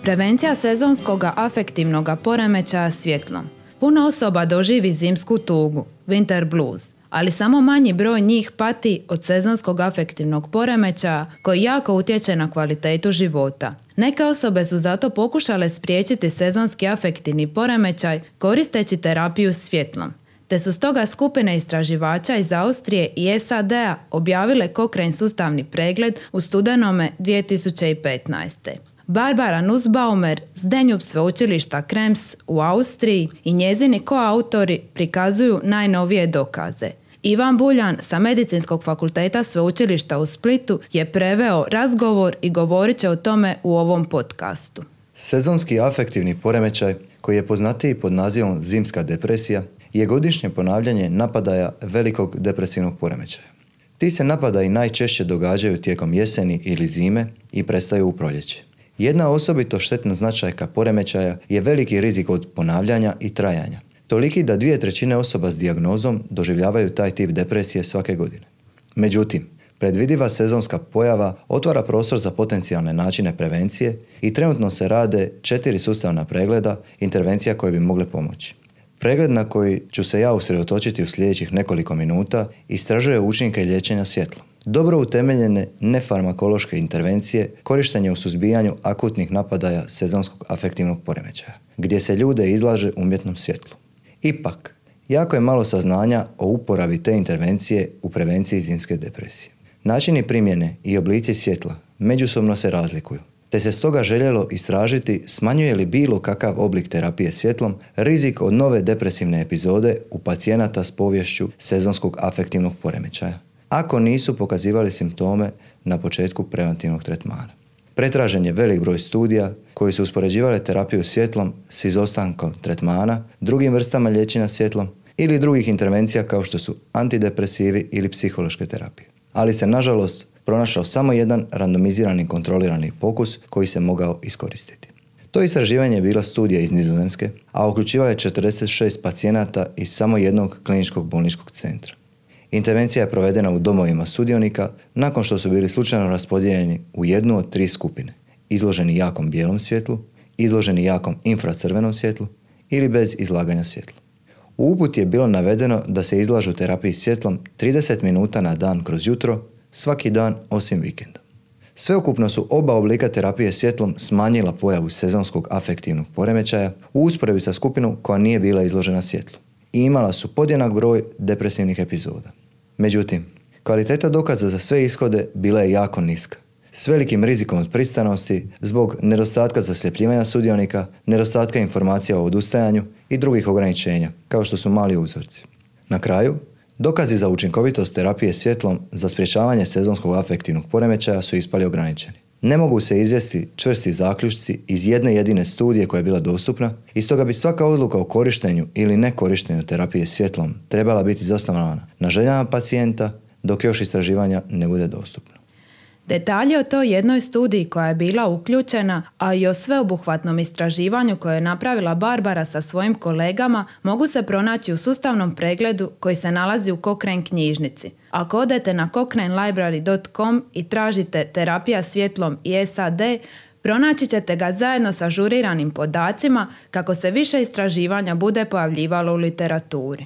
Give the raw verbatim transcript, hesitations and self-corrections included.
Prevencija sezonskog afektivnog poremećaja svjetlom. Puno osoba doživi zimsku tugu, winter blues, ali samo manji broj njih pati od sezonskog afektivnog poremećaja koji jako utječe na kvalitetu života. Neke osobe su zato pokušale spriječiti sezonski afektivni poremećaj koristeći terapiju svjetlom, te su stoga skupine istraživača iz Austrije i S A D-a objavile Cochrane sustavni pregled u studenome dvije tisuće petnaeste. Barbara Nussbaumer s Danube sveučilišta Krems u Austriji i njezini koautori prikazuju najnovije dokaze. Ivan Buljan sa Medicinskog fakulteta sveučilišta u Splitu je preveo razgovor i govorit će o tome u ovom podcastu. Sezonski afektivni poremećaj, koji je poznatiji pod nazivom zimska depresija, je godišnje ponavljanje napadaja velikog depresivnog poremećaja. Ti se napadaji najčešće događaju tijekom jeseni ili zime i prestaju u proljeće. Jedna osobito štetna značajka poremećaja je veliki rizik od ponavljanja i trajanja, toliki da dvije trećine osoba s dijagnozom doživljavaju taj tip depresije svake godine. Međutim, predvidiva sezonska pojava otvara prostor za potencijalne načine prevencije i trenutno se rade četiri sustavna pregleda intervencija koje bi mogle pomoći. Pregled na koji ću se ja usredotočiti u sljedećih nekoliko minuta istražuje učinke liječenja svjetlom. Dobro utemeljene nefarmakološke intervencije korištenje u suzbijanju akutnih napadaja sezonskog afektivnog poremećaja, gdje se ljude izlaže umjetnom svjetlu. Ipak, jako je malo saznanja o uporabi te intervencije u prevenciji zimske depresije. Načini primjene i oblici svjetla međusobno se razlikuju, te se stoga željelo istražiti smanjuje li bilo kakav oblik terapije svjetlom rizik od nove depresivne epizode u pacijenata s poviješću sezonskog afektivnog poremećaja, ako nisu pokazivali simptome na početku preventivnog tretmana. Pretražen je velik broj studija koji su uspoređivale terapiju svjetlom s izostankom tretmana, drugim vrstama liječenja svjetlom ili drugih intervencija kao što su antidepresivi ili psihološke terapije. Ali se nažalost pronašao samo jedan randomizirani kontrolirani pokus koji se mogao iskoristiti. To istraživanje je bila studija iz Nizozemske, a uključivala je četrdeset šest pacijenata iz samo jednog kliničkog bolničkog centra. Intervencija je provedena u domovima sudionika nakon što su bili slučajno raspodijeljeni u jednu od tri skupine, izloženi jakom bijelom svjetlu, izloženi jakom infracrvenom svjetlu ili bez izlaganja svjetlu. U uputi je bilo navedeno da se izlažu terapiji svjetlom trideset minuta na dan kroz jutro, svaki dan osim vikenda. Sveukupno su oba oblika terapije svjetlom smanjila pojavu sezonskog afektivnog poremećaja u usporedbi sa skupinom koja nije bila izložena svjetlu i imala su podjednak broj depresivnih epizoda. Međutim, kvaliteta dokaza za sve ishode bila je jako niska, s velikim rizikom od pristranosti zbog nedostatka zasljepljivanja sudionika, nedostatka informacija o odustajanju i drugih ograničenja, kao što su mali uzorci. Na kraju, dokazi za učinkovitost terapije svjetlom za sprječavanje sezonskog afektivnog poremećaja su ispali ograničeni. Ne mogu se izvesti čvrsti zaključci iz jedne jedine studije koja je bila dostupna i stoga bi svaka odluka o korištenju ili nekorištenju terapije svjetlom trebala biti zasnovana na željama pacijenta dok još istraživanja ne bude dostupno. Detalje o toj jednoj studiji koja je bila uključena, a i o sveobuhvatnom istraživanju koje je napravila Barbara sa svojim kolegama, mogu se pronaći u sustavnom pregledu koji se nalazi u Cochrane knjižnici. Ako odete na cochrane library dot com i tražite terapija svjetlom i S A D, pronaći ćete ga zajedno sa ažuriranim podacima kako se više istraživanja bude pojavljivalo u literaturi.